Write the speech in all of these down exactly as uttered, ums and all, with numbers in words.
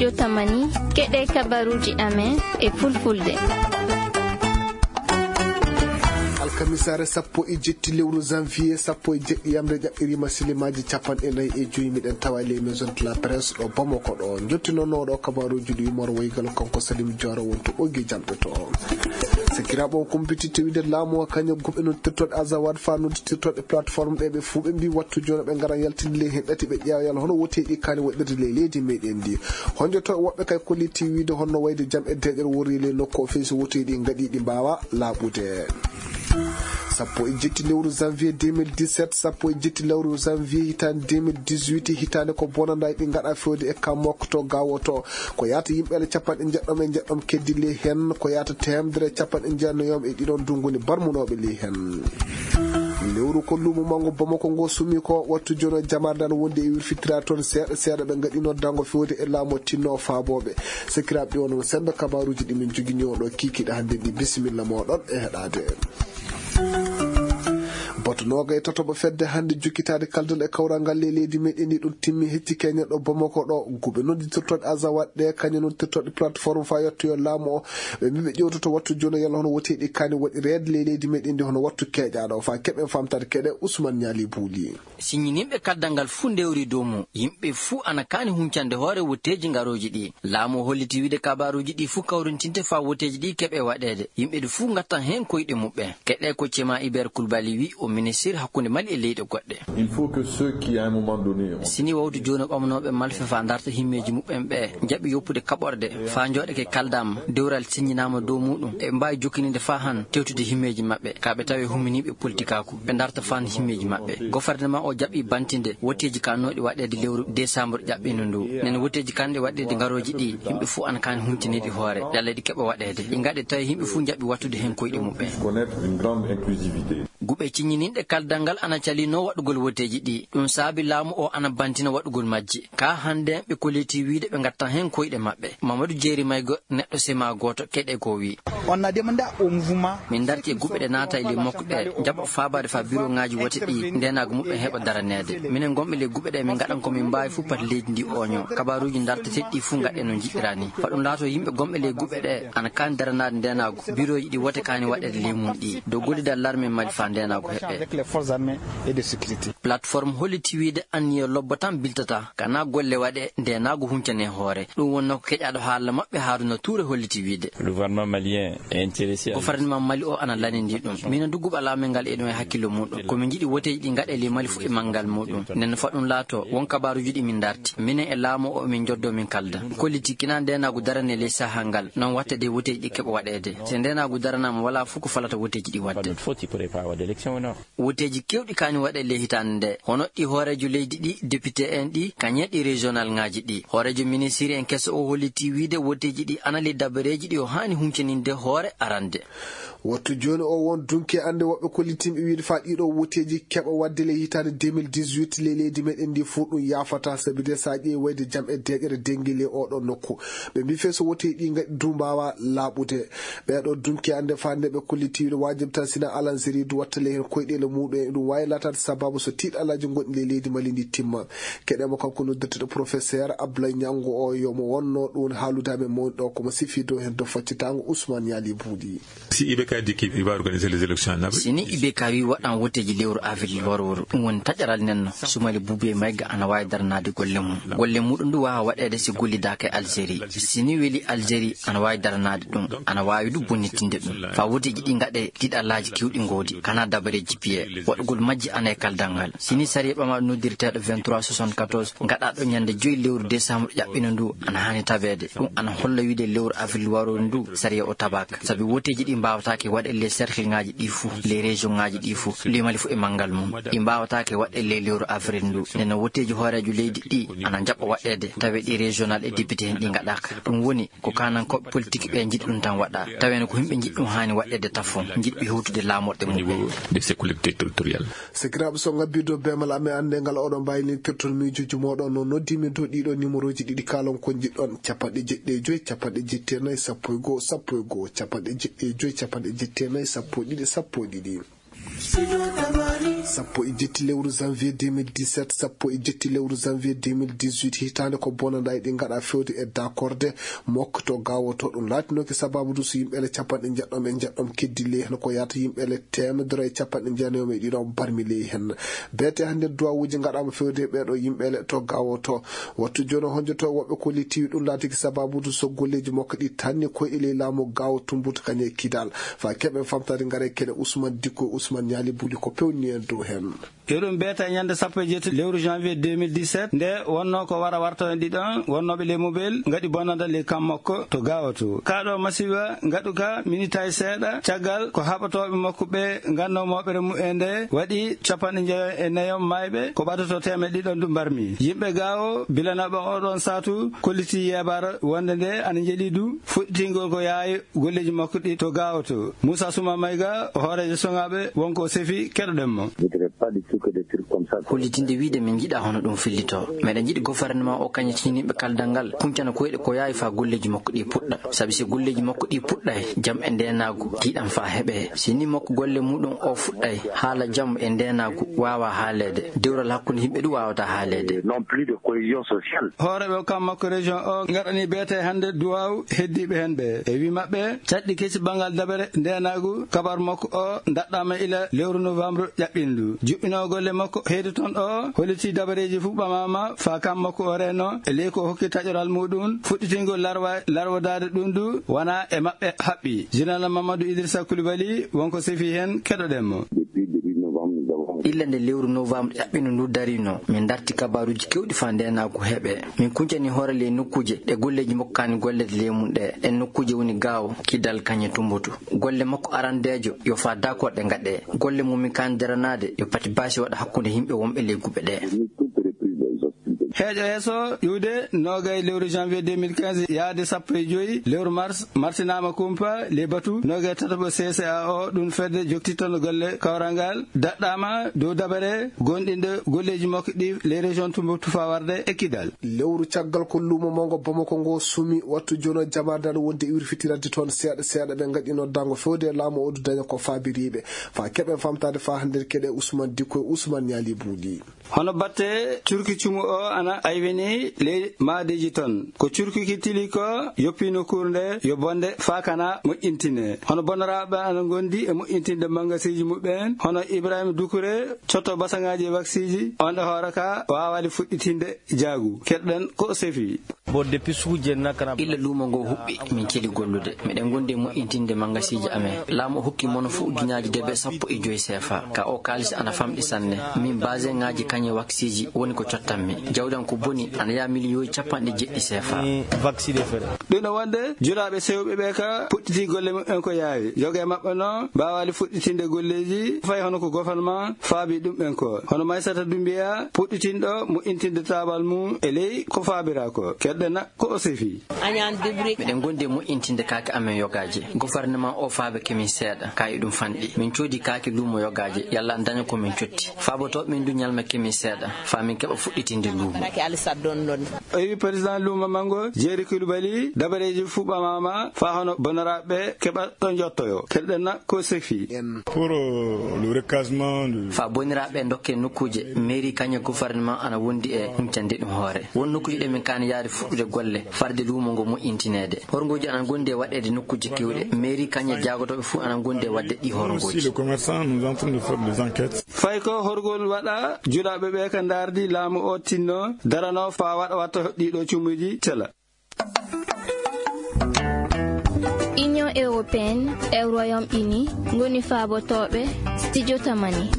Jotamani, keɗe kabaruuji amen e fulfulde. Alkamisaare sappo e jetti lewru janvier, sappo e jeɗɗi yamre, jaɓɓiriima silimaaji capanɗe nayi e joyi. Miɗen tawa les maisons de la presse ɗo Bamako ɗo. Njottinono ɗo kabaruuji ɗi Umar Waygal, kanko Salim Diawara wonto ɓoggi jamɗe to. Sakiraaɓe, on kumpititte wiide laamu o kañum gum e noddirtoɗe Azawad fa noddirtoɗe plateforme ɗe, ɓe fuu ɓe mbi wattu jooni ɓe ngara yaltinde ley hen ɗati ɓe ƴeewa yalla hono woteeji kaani waɗirde ley leydi meɗen ndi. Honjoto woɓɓe kay kolliti wiide honno wayde jam e deeƴere worri ley nokku o fii so woteeji ɗi ngaɗi ɗi mbaawa laaɓude. Sappo e jetti lewru janvier deux mille dix-sept, sappo e jetti lewru janvier hitaande deux mille dix-huit, hitaande ko bonanda ɗi ngaɗa fewde e Kamok to Gawo to. Ko yaata yimɓe ale capanɗe njeɗɗom e njeɗɗom keddi ley hen, ko yaata teemedere e capanɗe njenayoom e ɗiɗon ndungu ni barmunooɓe ley hen. Lewru ko luumo mango Bamako ngo sumi ko wattu jono jamaare dan wonde e wirfitira toon seeɗa seeɗa ɓe ngaɗino dango fewde e laamu tinno faabooɓe. Sakiraaɓe, ɗi wonno sembe kabaruuji ɗi min jogini on ɗo kikiɗe hannde ɗi. Bisimilla mooɗon e heɗaade. Bato noogay tatoɓo fedde hannde jokkitaade kaldal e kawral ngal ley leydi meɗen ndi ɗum timmi hecci keñen ɗo Bamako ɗo. Guɓe nodditirtoɗe Azawad ɗe, kañum nodditirtoɗe plateforme fa yettoyo laamu o. Ɓe mbi ɓe ƴewtoto wattu jooni yalla hono woteeji kaani waɗi reede ley leydi meɗen ndi hono wattu keeƴaaɗo o fa keɓen famtaade keɗe Ousmane Niali Bouli. Siññininɓe kaddal ngal fuu ndewri dow mum. Yimɓe fuu ana kaani huncande hoore woteeji ngarooji ɗi. Laamu o holliti wiide kabaruuji ɗi fuu kawrintinte faa woteeji ɗi keɓe waɗeede. Yimɓe ɗi fuu ngattan heen koyɗe muɓɓen. Keɗe ko Cema Iber Kulbali wi o ministir hakkunde Mali e leyɗe goɗɗe. Il faut que ceux qui, à un moment donné, ont Sini wawtu jooni ɓamanooɓe malfe faa ndarta himmeeji muɓɓen ɓe njaɓi yoppude kaɓorɗe faa njooɗake kaldaama dewral siññinaama dow muɗum. E mbaawi jokkininde faa han tewtude himmeeji maɓɓe. Ka ɓe tawe humminiiɓe politikaaku. Ɓe ndarta faan himmeeji maɓɓe. Gofarnema o jaɓi bantinde woteeji kannooɗi waɗeede lewru desambre ƴaɓɓiino ndu. Nen woteeji kanɗe waɗeede ngarooji ɗi, yimɓe fuu ana kaani huncaniiɗi hoore. Yalla ɗi keɓa waɗeede. Ɗi ngaɗe tawi yimɓe fuu njaɓi wattude heen koyɗe muɓɓen. Connaître une grande inclusivité. Guɓe ciññininɗe kaldal ngal ana calino waɗugol woteeji ɗi. Ɗum saabi laamu o ana bantina waɗugol majji. Ka hannde ɓe koliti wiide ɓe ngattan heen koyɗe maɓɓe. Mamadou Jeeri Maygo, neɗɗo sema gooto keɗe ko wi. On a demandé au mouvement. Min darti e guɓe ɗe naata e ley mokko ɗe, njaɓa faabaade faa biroŋaaji wote ɗi ndeenaagu muɓɓen heɓa daraneede. Minen ngonɓe ley guɓe ɗe, min ngaɗan ko min mbaawi fuu pati leydi ndi ooño. Kabaruuji darteteeɗi ɗi fuu ngaɗen no njiɗiraa ni. Faa ɗum laato yimɓe gonɓe ley guɓe ɗe ana kaani daranaade ndeenaagu, birooji ɗi wote kaani waɗeede ley mum ɗi. Dow gollidal larme Mali faa ndeenaagu heɓɓe. Avec les forces armées et de sécurité. Plateforme holliti wiide anniya lobbo tan biltata, kana golle waɗe ndeenaagu huncane hoore. Ɗum wonnoo ko keƴaaɗo haala maɓɓe Haruna Touré holliti wiide. Le gouvernement malien est intéressé à. Gofarnema Mali o ana lanindii ɗum. Minen du guɓal amen ngal e ɗum e hakkillo muɗum. Ko min njiɗi woteeji ɗi ngaɗe ley Mali fuu e manngal muɗum. Nden faa ɗum laato, won kabaaruuji ɗi min darti. Minen e laamu o min njoddo min kalda. Kolliti kina ndeenaagu darane ley sahaa ngal. Non watte de woteeji ɗi keɓa waɗeede. Si ndeenaagu daranaama walaa fuu ko falata woteeji ɗi waɗde. Pas de faute, il pourrait pas avoir d'élection, non. Woteeji keewɗi kaani waɗe ley hitaande nde. Hono ɗi hooreejo leydi ɗi, député en ɗi, kañe ɗi régional ŋaaji ɗi. Hooreejo ministiri en keso o holliti wiide woteeji ɗi ana ley dabareeji ɗi o haani huncaninde hoore arande. Wattu jooni o won dunki ande woɓɓe kollitiiɓe wiide faa ɗiɗo woteeji keɓa waɗde ley hitaande deux mille dix-huit ley leydi meɗen ndi fuu ɗum yaafata, sabi de so a ƴeewi wayde jam e deeƴere dengi ley oɗo nokku. Ɓe mbi fee so woteeji ɗi ngaɗi du mbaawa laaɓude. Ɓeeɗo dunki ande faa nde ɓe kolliti wiide waajib tan sina Alanzeri du watta ley heen koyɗeele muɗum en. Ɗum waawi laataade sababu so tiiɗalaaji gonɗi ley leydi Mali ndi timma. Keɗe mo kanko noddirteɗo professeur Abdoulaye Niango o yo mo wonno ɗum haalude amen mawni ɗo ko mo sifi dow heen dow faccitaango Ousmane Yali Buuɗi. Si I B K dit qu'il va organiser les élections en avril. Sini I B K wi waɗan woteeji lewru avril warooru. Ɗum woni taƴaral nenno. Sumali Buubi e Mayga ana waawi daranaade golle mum. Golle muɗum du waawa waɗeede si gollidaaka e Algérie. Sini weli Algérie ana waawi daranaade ɗum. Ana waawi du bonnitinde ɗum. Faa woteeji ɗi ngaɗe tiiɗalaaji kewɗi ngoodi. Kana dabareeji piye. Waɗugol majji ana e kaldal ngal. Sini sariya ɓamaaɗo noddirteeɗo vingt-trois soixante-quatorze ngaɗaaɗo ñande joyi lewru décembre ƴaɓɓino ndu ana haani tabeede. Ɗum ana holla wiide lewru avril warooru ndu sariya o tabaaka. Sabi woteeji ɗi mbaawataake waɗe ley cercle ŋaaji ɗi fuu, ley région ŋaaji ɗi fuu, ley Mali fuu e manngal mum. Ɗi mbaawataake waɗe ley lewru avril ndu. Nden no woteeji hooreejo leydi ɗi ana njaɓa waɗeede, tawi ɗi régional e député en ɗi ngaɗaaka. Ɗum woni ko kanankooɓe politique ɓe njiɗi ɗum tan waɗa. Tawi no ko yimɓe njiɗi ɗum haani waɗeede tafon, njiɗɓe hewtude laamorɗe mum. Au niveau de ces collectivités territoriales. Sakiraaɓe, so ngabbii dow beemal amen annde ngal oɗon mbaawi lintirton miijooji mooɗon no noddi min dow ɗiɗo numéroji ɗiɗi kaalon ko njiɗɗon, capanɗe jeɗɗi e joyi, capanɗe jetti e nayi, sappo e goo, sappo e goo, capanɗe jeɗɗi e joyi, capanɗe jetti e nayi, sappo e ɗiɗi, sappo e ɗiɗi. Studio Tamani, Sappo e jetti lewru janvier deux mille dix-sept, sappo e jetti lewru janvier deux mille dix-huit, hitaande ko bonanda e ɗi ngaɗa fewde e dakorde mokko to gawoto. Ɗum laatinooki sababu du so yimɓeele capanɗe njeɗɗom e njeɗɗom keddi ley hen, ko yaata yimɓeele teemedere e capanɗe jeenayo e ɗiɗo barmi ley hen. Beete hannde duwawuuji ngaɗaama fewde e ɓeeɗo yimɓeele to gawoto. Wattu jooni honjoto woɓɓe ko ley tiwi ɗum laatiki sababu du so golleeji makko ɗi tanni koye e ley laamu gawo tumbutu kañe e kidal. Fa keɓe famtade ngare keɗe Ousmane Dikko, Ousmane Ñaali Buli ko pewni en dow hen. Eɗum beeta e ñande sappo e jeetati lewru janvier deux mille dix-sept, nde wonno ko wara warta en ɗiɗon wonnooɓe ley mobel ngaɗi bonanda ley kam makko to gawoto. Kaɗo masiba ngaɗu ka minitaji seeɗa, caggal ko haɓatooɓe makko ɓe ganno moɓere mumen nde waɗi capanɗe njeyo e nayo mayɓe, ko ɓatoto teemeɗɗe ɗiɗon du mbarmi. Yimɓe gawo bilanaɓe oɗon satu kolliti yebara wonde nde ana jeeɗi du fuɗɗitingol ko yaawi golleji makko ɗi to gawoto. Moussa Souma Maïga, hooreejo soŋaaɓe, wonko sefi, keɗoɗen mo. Hollitinde wiide min njiɗa hono ɗum fillito. Meɗen njiɗi gouvernement o kañe ciniɓe kaldal ngal, kuncana koyɗe ko yaawi fa golleji makko ɗi puɗɗa. Sabi si golleji makko ɗi puɗɗay, jam e ndenagu, tiiɗan fa heɓe. Si ni makko golle muɗum o fuɗɗay, haala jam e ndenagu wawa haalede. Dewral hakkunde yimɓe ɗum wawata haalede. Non plus de cohésion sociale. Hooreeɓe kam makko région o ngaɗani beete hannde duwaw heddiiɓe hen ɓe. E wi maɓɓe, caɗɗi kesi banngal dabere ndenagu kabar makko o daɗɗama ila lewru novembre ƴaɓɓindu. Juɓɓino golle makko heyde toon o, holliti dabareeji fuu ɓamama fa kam makko o reno, e ley ko hokki taƴoral muɗum, fuɗɗitingol larwa, larwadaade ɗum du, wona e maɓɓe haɓɓi. Général Mamadou Idrissa Coulibaly, wonko sefi hen, keɗoɗen mo. Illa nde lewru novembre ƴaɓɓino ndu darino, min darti kabaruuji kewɗi fa ndenagu heɓe. Min kuncani hoore ley nokkuuje ɗe golleeji makko kaani gollede ley mum ɗe. Ɗen nokkuuje woni Gaawo, Kidal, Kañe, Tumbutu. Golle makko arandeejo yo fa dakorde ngaɗe. Golle mum min kaani daranaade yo pati baasi waɗa hakkunde yimɓe wonɓe ley guɓe ɗe. Heeƴo yeeso iwde nogay lewru janvier deux mille quinze yaade sappo e joy lewru mars, martinaama kumpa ley batu nogay tataɓo C C A O, ɗum fedde jokkitittono golle kawral ngal, daɗɗaama dow dabare gonɗinde golleeji makko ɗi ley région Tumbuktu fa warde e Kidal. Lewru caggal ko luumo mawngo Bamako ngo sumi, wattu jono jamaade aɗa wondi e wirfitirande toon seeɗa seeɗa, ɓe ngaɗino dango fewde e laamu o du daña ko faabiriiɓe. Fa keɓen famtaade fa hannde keɗe Ousmane Dikko e Ousmane Ñaali Buuɗi. Hono batte curki cumu o ana aywini ley maadeeji toon. Ko curki ki tili ko yoppi nokkuure nde yo bonde fa kana moƴƴintine. Hono bonnoraaɓe ana ngondi e moƴƴintinde mangasiiji muɓɓen, hono Ibrahima Dukure, cotto basaŋaaji e waksiji, on e hoore ka waawaali fuɗɗitinde jaagu. Keɗɗen ko o sefi. Illa luumo ngo huɓɓi, min celi gollude. Miɗen gondi e moƴƴintinde mangasiiji amen. Laamu o hokki mono fuu ujunnaaji debe sappo e joy seefa. Ka o kaalisi ana famɗi sanne. Min baseŋaaji kañe waksiji woni ko cottanmi. Jawdi am ko boni ana yaha miliyooji capanɗe jeeɗiɗi seefa. Ɗum no wonde julaaɓe sewɓe ɓe ka puɗɗiti golle muɓɓen ko yaawi. Yoga e maɓɓe noon mbaawaali fuɗɗitinde golleeji fay hono ko gouvernement faabi ɗumɓen ko. Hono Maysata Dumbiya puɗɗitinɗo moƴƴintinde taabal mum e ley ko faabira ko. Keɗɗen ko o sefi. Miɗen gondi e moƴƴintinde kaake amen yogaaje. Gouvernement o faabe kemin seeɗa, ka e ɗum fanɗi. Min coodi kaake luumo yogaaje, yalla en daña ko min cotti. Faabotooɓe min du ñalma kemin seeɗa, fa min keɓa fuɗɗitinde luumo. O wi président luumo mango, Jeeri Kulubali, dabareeji fuu ɓamama, fa hono bonnoraaɓe keɓa ɗo jottoyo. Keɗɗen ko sefi. Pour, euh, le recasement de Fa boniraaɓe dokke nokkuuje, mairie kañe gouvernement ana wondi e huncande ɗum hoore. Won nokkuuje ɗe min kaani yaade fuɗɗude golle, farde luumo ngo moƴƴintineede. Horngooji ana gondi e waɗeede nokkuuje kewɗe. Mairie kañe jaagotooɓe fuu ana gondi e waɗde ɗi horngooji. Aussi, les commerçants, nous entrons de faire des enquêtes. Fay ko horgol waɗa, julaaɓe ɓe ka ndaardi laamu o tinno, darano fa waɗa watta ɗiɗo cumuji tela. Union européenne e Royaume-Uni ngoni faabotooɓe Studio Tamani.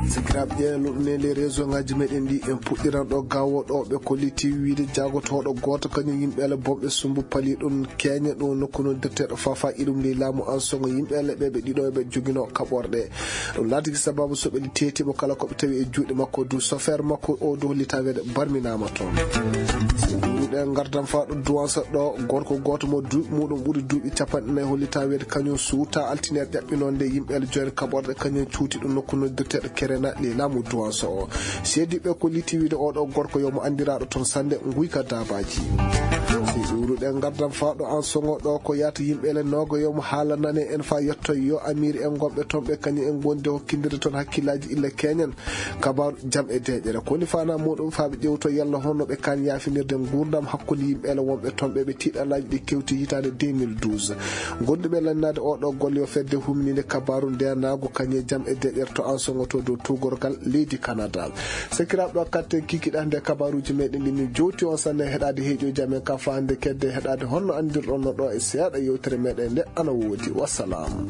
Sakiraaɓe, ƴeewen ɗum ne les réseau ngaji meɗen ɗi, en puɗɗiran ɗo gawo ɗo ɓe kolliti wiide jaagotooɗo gooto kañum yimɓe ala bomɓe sumbu pali ɗum keñe ɗum nokku noon detteɗo fafa iɗum ley laamu an songo yimɓe ala ɓe ɓe ɗiɗo ɓe jogino kaɓorɗe. Ɗum laatiki sababu so ɓe teetimo kala ko ɓe tawi e juuɗe makko du chauffeur makko o du hollita weede barminama toon. Ɗen gardan fa ɗo duwansa ɗo gorko gooto mo duuɓi muɗum ɓuri duuɓi capanɗe nayi hollita weede kañum suuta altine ƴaɓɓinonde yimɓe ala joyen kaɓorɗe kañum cuuti ɗum nokku noddirteɗo kere naɗɗi laamu duwanso o. Seediɓe ko liti wiide oɗo gorko yo mo anndiraaɗo toon sannde nguyka daabaaji. Si ɗuuruɗen ngardan faaɗo an soŋo ɗo ko yaata yimɓe le noogo yo mo haalanane en fa yetto yo amiiri en gonɓe toon ɓe kañum en gondi hokkindire toon hakkillaaji illa keñen. Kabaru jam e deeƴere ko woni fana muɗum faaɓe ƴewto yalla honno ɓe kan yaafinirde nguurndam hakkunde yimɓe ele wonɓe toon ɓe ɓe tiiɗalaaji ɗi kewti hitaande deux mille douze. Gonduɓe lannade oɗo golle yo fedde humninde kabaru ndenaagu kañe jam e deeƴere to an soŋoto dow tuugorgal leydi Canada. Sakiraaɓe ɗo katte kikiɗa nde kabaruuji meɗen ɗi min jowti on sanne heɗaade heeƴo jam en ka fahande kedde heɗaade honno anndirɗon no ɗo e seeɗa yewtere meɗen nde ana woodi. Wassalam.